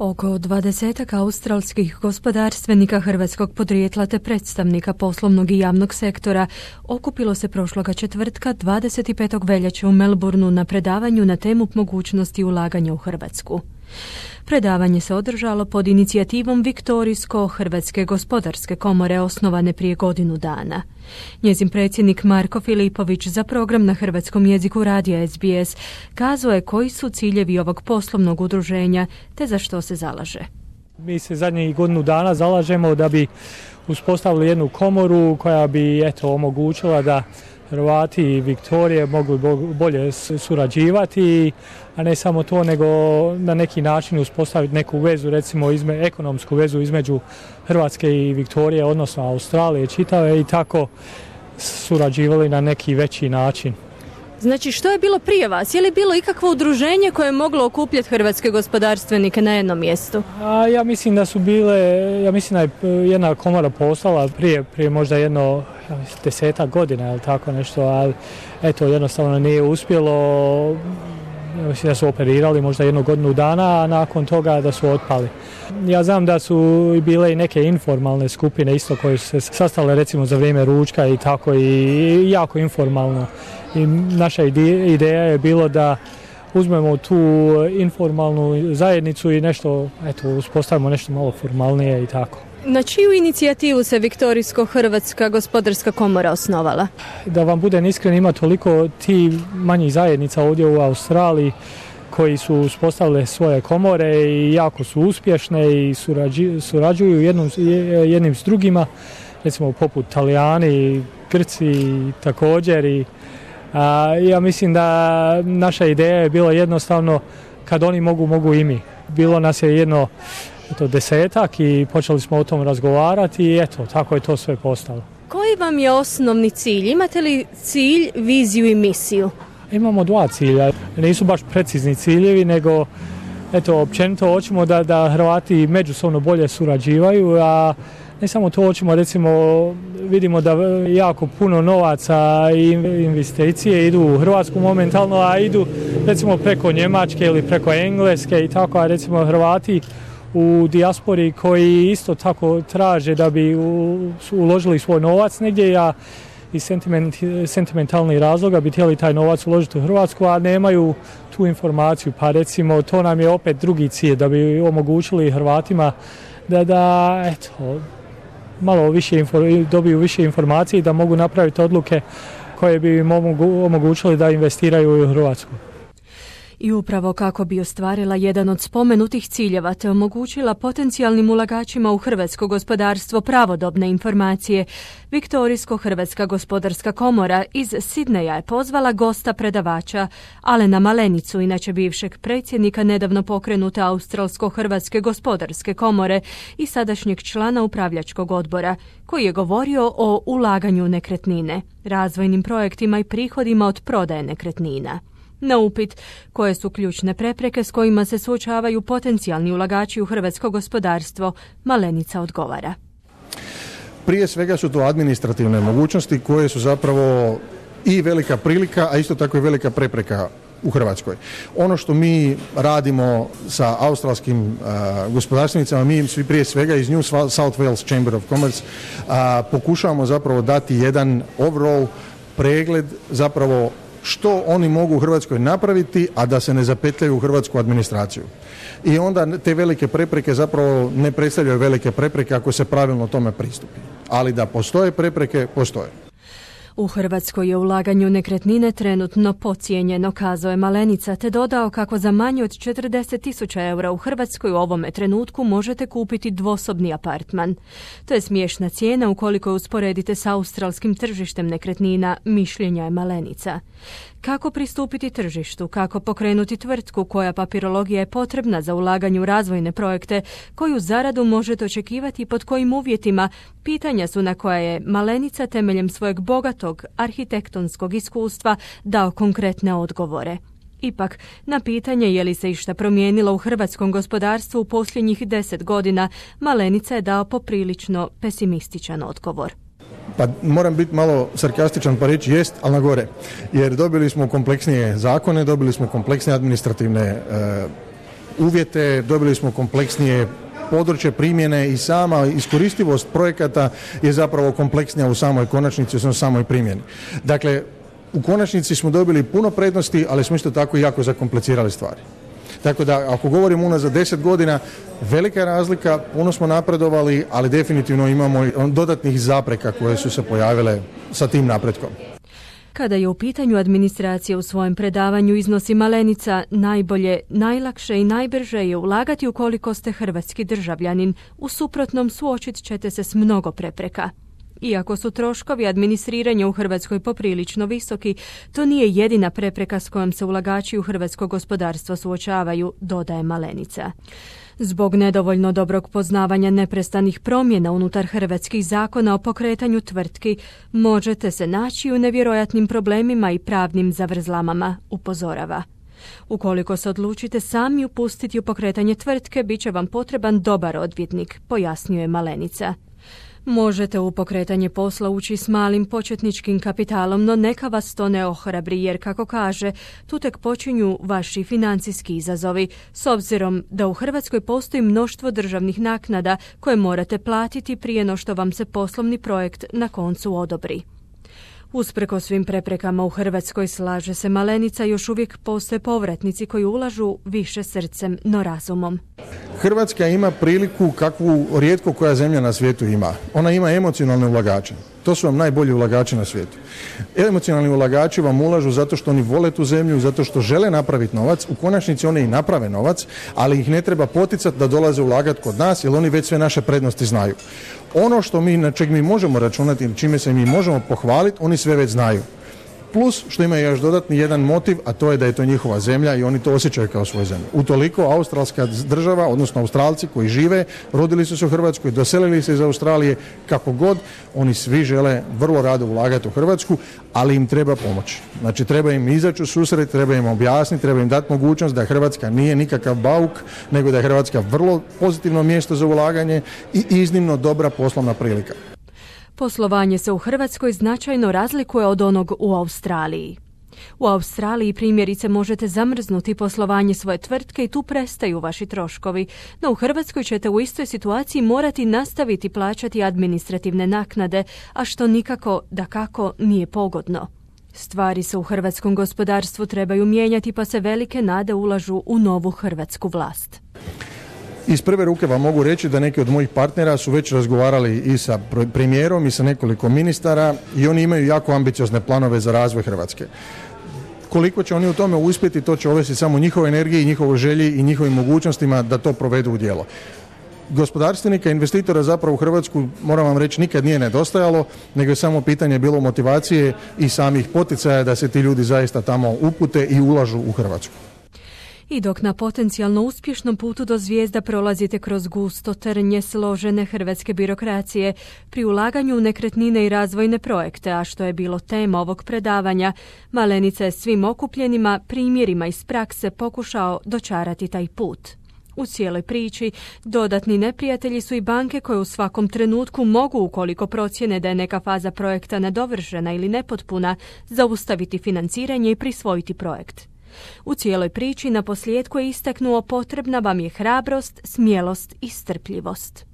Oko 20 australskih gospodarstvenika hrvatskog podrijetla te predstavnika poslovnog i javnog sektora okupilo se prošloga četvrtka 25. veljače u Melbourneu na predavanju na temu mogućnosti ulaganja u Hrvatsku. Predavanje se održalo pod inicijativom Viktorijsko-Hrvatske gospodarske komore osnovane prije godinu dana. Njezin predsjednik Marko Filipović za program na hrvatskom jeziku radija SBS kazao je koji su ciljevi ovog poslovnog udruženja te za što se zalaže. Mi se zadnjih godinu dana zalažemo da bi uspostavili jednu komoru koja bi omogućila da Hrvati i Viktorije mogli bolje surađivati, a ne samo to, nego na neki način uspostaviti neku vezu, recimo ekonomsku vezu između Hrvatske i Viktorije, odnosno Australije čitave, i tako surađivali na neki veći način. Znači, što je bilo prije vas? Je li bilo ikakvo udruženje koje je moglo okupljati hrvatske gospodarstvenike na jednom mjestu? Ja mislim da je jedna komora postala prije možda 10 godina ili tako nešto, ali jednostavno nije uspjelo. Mislim da su operirali možda 1 godinu dana, a nakon toga da su otpali. Ja znam da su bile i neke informalne skupine isto koje su se sastale recimo za vrijeme ručka i tako, i jako informalno. I naša ideja je bilo da uzmemo tu informalnu zajednicu i uspostavimo nešto malo formalnije i tako. Na čiju inicijativu se Viktorijsko-Hrvatska gospodarska komora osnovala? Da vam budem iskren, ima toliko ti manjih zajednica ovdje u Australiji koji su uspostavile svoje komore i jako su uspješne i surađuju jednim s drugima, recimo poput Talijani, Grci također. Ja mislim da naša ideja je bila jednostavno kad oni mogu i mi. Bilo nas je 10 i počeli smo o tom razgovarati i tako je to sve postalo. Koji vam je osnovni cilj? Imate li cilj, viziju i misiju? Imamo 2 cilja. Nisu baš precizni ciljevi, nego općenito hoćemo da Hrvati međusobno bolje surađivaju, a ne samo to, hoćemo, recimo, vidimo da jako puno novaca i investicije idu u Hrvatsku momentalno, a idu recimo preko Njemačke ili preko Engleske i tako, a recimo Hrvati u dijaspori koji isto tako traže da bi uložili svoj novac negdje, a iz sentimentalnih razloga bi htjeli taj novac uložiti u Hrvatsku, a nemaju tu informaciju. Pa recimo to nam je opet drugi cilj, da bi omogućili Hrvatima da malo više dobiju više informacije i da mogu napraviti odluke koje bi im omogućili da investiraju u Hrvatsku. I upravo kako bi ostvarila jedan od spomenutih ciljeva te omogućila potencijalnim ulagačima u hrvatsko gospodarstvo pravodobne informacije, Viktorijsko-Hrvatska gospodarska komora iz Sidneja je pozvala gosta predavača Alena Malenicu, inače bivšeg predsjednika nedavno pokrenute Australsko-Hrvatske gospodarske komore i sadašnjeg člana upravljačkog odbora, koji je govorio o ulaganju u nekretnine, razvojnim projektima i prihodima od prodaje nekretnina. Na upit koje su ključne prepreke s kojima se suočavaju potencijalni ulagači u hrvatsko gospodarstvo, Malenica odgovara. Prije svega su to administrativne mogućnosti koje su zapravo i velika prilika, a isto tako i velika prepreka u Hrvatskoj. Ono što mi radimo sa australskim gospodarstvenicama, mi svi prije svega iz New South Wales Chamber of Commerce pokušavamo zapravo dati jedan overall pregled zapravo što oni mogu u Hrvatskoj napraviti, a da se ne zapetljaju u hrvatsku administraciju. I onda te velike prepreke zapravo ne predstavljaju velike prepreke ako se pravilno tome pristupi. Ali da postoje prepreke, postoje. U Hrvatskoj je ulaganje u nekretnine trenutno podcijenjeno, kazao je Malenica, te dodao kako za manje od 40.000 eura u Hrvatskoj u ovome trenutku možete kupiti dvosobni apartman. To je smiješna cijena ukoliko je usporedite s australskim tržištem nekretnina, mišljenja je Malenica. Kako pristupiti tržištu, kako pokrenuti tvrtku koja papirologija je potrebna za ulaganje u razvojne projekte, koju zaradu možete očekivati i pod kojim uvjetima, pitanja su na koja je Malenica temeljem svojeg bogatog arhitektonskog iskustva dao konkretne odgovore. Ipak, na pitanje je li se išta promijenilo u hrvatskom gospodarstvu u posljednjih 10 godina, Malenica je dao poprilično pesimističan odgovor. Pa moram biti malo sarkastičan pa reći jest, ali na gore. Jer dobili smo kompleksnije zakone, dobili smo kompleksne administrativne uvjete, dobili smo kompleksnije područje primjene i sama iskoristivost projekata je zapravo kompleksnija u samoj konačnici, u samoj primjeni. Dakle, u konačnici smo dobili puno prednosti, ali smo isto tako jako zakomplicirali stvari. Tako da, ako govorimo unazad 10 godina, velika je razlika, puno smo napredovali, ali definitivno imamo dodatnih zapreka koje su se pojavile sa tim napretkom. Kada je u pitanju administracija, u svojem predavanju iznosi Malenica, najbolje, najlakše i najbrže je ulagati ukoliko ste hrvatski državljanin. U suprotnom suočit ćete se s mnogo prepreka. Iako su troškovi administriranja u Hrvatskoj poprilično visoki, to nije jedina prepreka s kojom se ulagači u hrvatsko gospodarstvo suočavaju, dodaje Malenica. Zbog nedovoljno dobrog poznavanja neprestanih promjena unutar hrvatskih zakona o pokretanju tvrtki, možete se naći u nevjerojatnim problemima i pravnim zavrzlamama, upozorava. Ukoliko se odlučite sami upustiti u pokretanje tvrtke, bit će vam potreban dobar odvjetnik, pojasnjuje Malenica. Možete u pokretanje posla ući s malim početničkim kapitalom, no neka vas to ne ohrabri, jer kako kaže, tu tek počinju vaši financijski izazovi, s obzirom da u Hrvatskoj postoji mnoštvo državnih naknada koje morate platiti prije no što vam se poslovni projekt na koncu odobri. Usprkos svim preprekama u Hrvatskoj, slaže se Malenica, još uvijek postoje povratnici koji ulažu više srcem, no razumom. Hrvatska ima priliku kakvu rijetko koja zemlja na svijetu ima. Ona ima emocionalne ulagače. To su vam najbolji ulagači na svijetu. Emocionalni ulagači vam ulažu zato što oni vole tu zemlju, zato što žele napraviti novac. U konačnici oni i naprave novac, ali ih ne treba poticati da dolaze ulagati kod nas, jer oni već sve naše prednosti znaju. Ono što na čeg mi možemo računati ili čime se mi možemo pohvaliti, oni sve već znaju. Plus što ima još dodatni jedan motiv, a to je da je to njihova zemlja i oni to osjećaju kao svoju zemlju. Utoliko australska država, odnosno Australci koji žive, rodili su se u Hrvatskoj, doselili se iz Australije, kako god, oni svi žele vrlo rado ulagati u Hrvatsku, ali im treba pomoć. Znači treba im izaći u susret, treba im objasniti, treba im dati mogućnost da Hrvatska nije nikakav bauk, nego da je Hrvatska vrlo pozitivno mjesto za ulaganje i iznimno dobra poslovna prilika. Poslovanje se u Hrvatskoj značajno razlikuje od onog u Australiji. U Australiji primjerice možete zamrznuti poslovanje svoje tvrtke i tu prestaju vaši troškovi, no u Hrvatskoj ćete u istoj situaciji morati nastaviti plaćati administrativne naknade, a što nikako, dakako, nije pogodno. Stvari se u hrvatskom gospodarstvu trebaju mijenjati, pa se velike nade ulažu u novu hrvatsku vlast. Iz prve ruke vam mogu reći da neki od mojih partnera su već razgovarali i sa premijerom i sa nekoliko ministara i oni imaju jako ambiciozne planove za razvoj Hrvatske. Koliko će oni u tome uspjeti, to će ovisiti samo o njihovoj energiji, njihovoj želji i njihovim mogućnostima da to provedu u djelo. Gospodarstvenika, investitora zapravo u Hrvatsku, moram vam reći, nikad nije nedostajalo, nego je samo pitanje bilo motivacije i samih poticaja da se ti ljudi zaista tamo upute i ulažu u Hrvatsku. I dok na potencijalno uspješnom putu do zvijezda prolazite kroz gusto trnje složene hrvatske birokracije, pri ulaganju u nekretnine i razvojne projekte, a što je bilo tema ovog predavanja, Malenica je svim okupljenima primjerima iz prakse pokušao dočarati taj put. U cijeloj priči dodatni neprijatelji su i banke koje u svakom trenutku mogu, ukoliko procjene da je neka faza projekta nedovršena ili nepotpuna, zaustaviti financiranje i prisvojiti projekt. U cijeloj priči na posljedku je istaknuo: potrebna vam je hrabrost, smjelost i strpljivost.